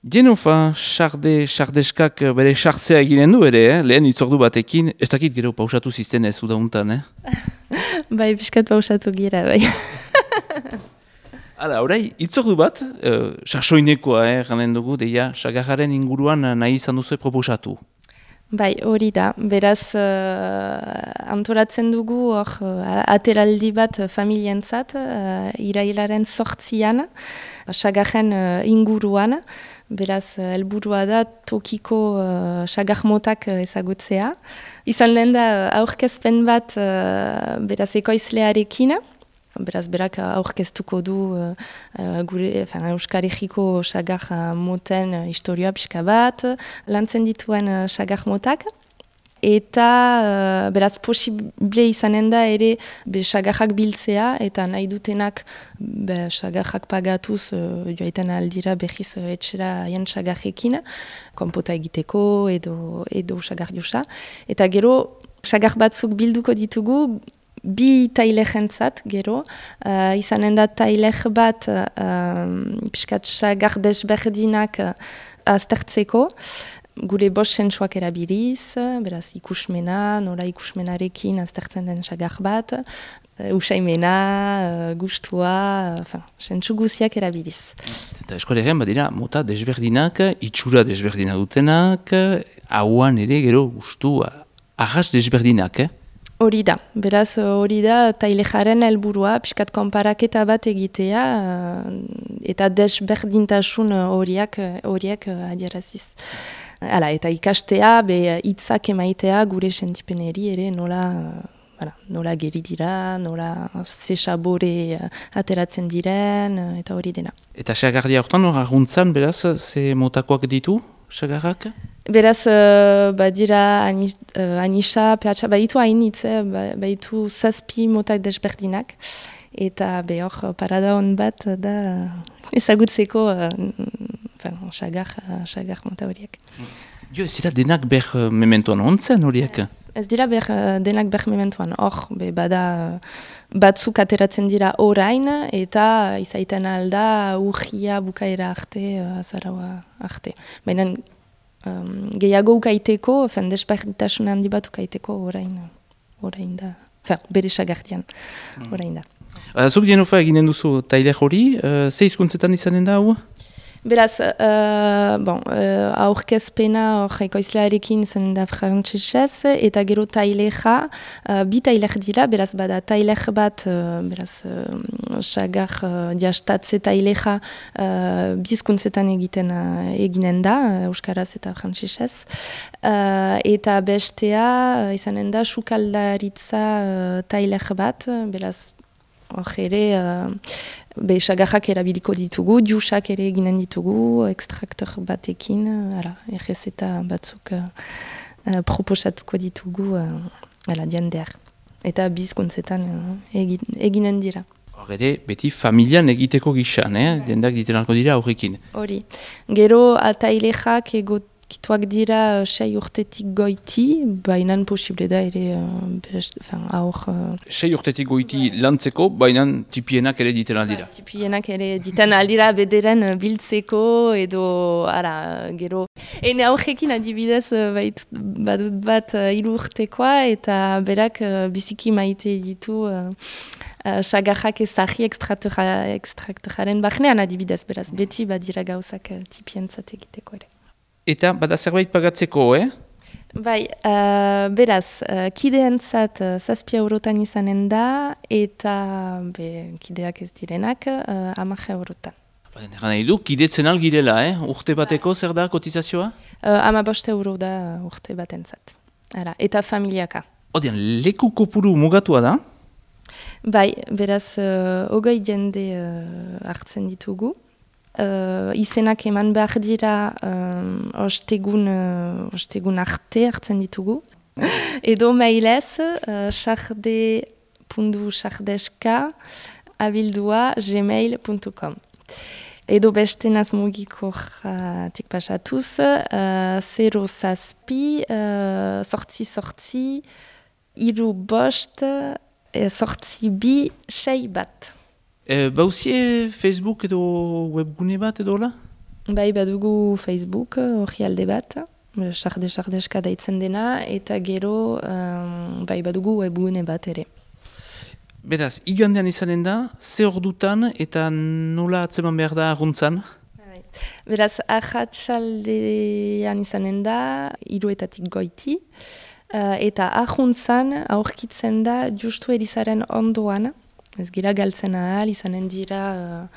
Genofa, sardeskak bere sartzea eginen du ere, lehen itzordu batekin, ez dakit gero pausatu zizten ez udauntan, Bai, piskat pausatu gira, bai. Hala, orai, itzordu bat, sasoinekoa, ganen dugu, deia, sagarraren inguruan nahi izan duzu proposatu. Bai, hori da. Beraz, antolatzen dugu hor ateraldi bat familientzat, irailaren 8an, sagarren inguruan. Beraz, helburua da tokiko sagar-motak ezagutzea. Izan lehen da aurkezpen bat beraz ekoizlearekin. Beraz, berak aurkeztuko du Euskal Herriko sagar moten historioa pixka bat, lantzen dituen sagar motak. Eta, beraz, posible izanen da ere sagarrak biltzea, eta nahi dutenak sagarrak pagatuz joaiten aldira behiz etxera haien sagarrekin, konpota egiteko edo sagar josa. Eta gero, sagar batzuk bilduko ditugu, bi tailerentzat gero, izanen da tailer bat piskat sagar desberdinak aztertzeko, gure bost sentsuak erabiliz, beraz ikusmena, nola ikusmenarekin aztertzen den sagar bat, usaimena, gustua, sentsu guziak erabiliz. Eta eskolegian badira, mota desberdinak, itxura desberdina dutenak, hauan ere gero gustua, arras desberdinak, Hori da, beraz hori da tailejaren helburua, pixkat konparaketa bat egitea eta desberdintasun horiek adieraziz. Hala, eta ikastea, hitzak emaitea gure sentipeneri ere nola geri dira, nola ze sabore ateratzen diren, eta hori dena. Eta sagardia hortan hor aguntzan, beraz, ze motakoak ditu, sagarrak? Beraz, badira anisa, pehatxa, baditu hainitz, baditu 7 motak desberdinak, eta hor parada hon bat da ezagutzeko sagar mota horiek. Jo, ez dira denak ber mementoan ontzen horiek? Ez dira denak ber mementoan, hor, bada batzuk ateratzen dira orain, eta izaiten alda urgia bukaera arte, azaraua arte. Baina, gehiago ukaiteko, desberdintasun handi bat ukaiteko orain da. Bere sagartian, orain da. Zuk Genofa eginen duzu tailer hori, ze hizkuntzetan izanen da hau? Beraz, aurkezpena ekoizlearekin zen da frantsesez, eta gero taileja, bi tailer dira, beraz bada tailer bat, beraz sagar jastatze taileja bizkuntzetan eginen da, euskaraz eta frantsesez, eta bestea izanen da sukaldaritza tailer bat, beraz hor ere, sagarrak erabiliko ditugu, jusak ere eginen ditugu, ekstraktor batekin, errezeta batzuk proposatuko ditugu jendeak. Eta bizkuntzetan eginen dira. Hor ere, beti familian egiteko gizan, jendeak ditenarko dira aurrekin. Hori. Gero atailejak kituak dira 6 urtetik goiti, bainan posible da ere aur... 6 urtetik goiti lantzeko, bainan tipienak ere diten aldira. Tipienak ere diten aldira bederen biltzeko edo, gero... Ene aurrekin adibidez badut bat 3 urtekoa eta berak biziki maite ditu sagarrak ezagri ekstraktoraren barnean adibidez, beraz beti badira gauzak tipientzat egiteko ere. Eta bada zerbait pagatzeko, Bai, beraz, kideentzat 7 eurotan izanen da, eta kideak ez direnak 10 eurotan. Egan nahi du, kidetzen algirela, urte bateko zer da kotizazioa? 15 euro da urte batentzat. Eta familiaka. Odean, leku kopuru mugatua da? Bai, beraz, 20 jende hartzen ditugu. Izenak eman behar dira ostegun arte hartzen ditugu. Edo mailez, sarde.sardeska@gmail.com. Edo beste nazmugiko pasatuz, 0 zazpi, sortzi, 3 bost, sortzi bi, 6 bat. Bauzie Facebook edo webgune bat edo la? Bai, badugu Facebook, hori alde bat, sardeska daitzen dena, eta gero bai, badugu webgune bat ere. Beraz, igandean izanen da, ze ordutan eta nola atzeman behar da arruntzan? Beraz, ahatsaldean izanen da, 3:00 goiti, eta ahuntzan aurkitzen da justu erizaren ondoan, ez gira galtzen ahal, izanen dira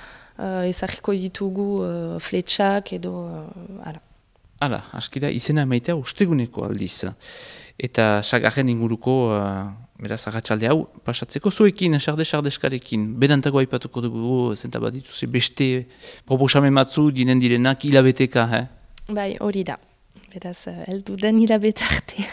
ezagiko ditugu fletxak edo ara. Hala, aski da, izena emaitea usteguneko aldiz. Eta sagarren inguruko, beraz, ahatsalde hau, pasatzeko zuekin, sardeskarekin, benantako aipatuko dugu, zenta bat dituze, beste proposamen batzu dinen direnak hilabeteka, Bai, hori da. Beraz, heldu den hilabete arte.